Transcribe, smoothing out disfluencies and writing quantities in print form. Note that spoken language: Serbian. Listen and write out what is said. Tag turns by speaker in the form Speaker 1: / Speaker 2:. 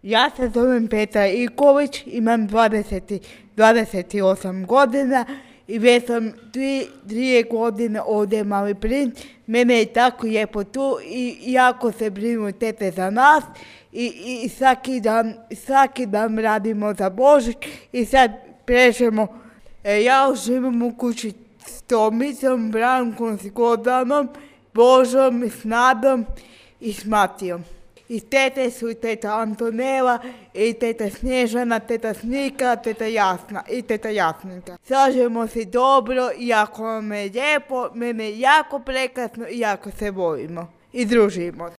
Speaker 1: Ja se zovem Petra Iković, imam 28 godina i već sam 3 godine ovdje Mali Princ. Mene je tako lijepo tu i jako se brinu tete za nas i svaki dan radimo za Božić i sad plešemo. Ja živim u kući s Tomicom, Brankom, s Gordanom, Božom, s Nadom i s Matijom. I tete su i teta Antonela, i teta Snježana, teta Snika, teta Jasna i teta Jasninka. Slažemo se dobro, jako nam je lijepo, mene je jako prekrasno i jako se volimo i družimo.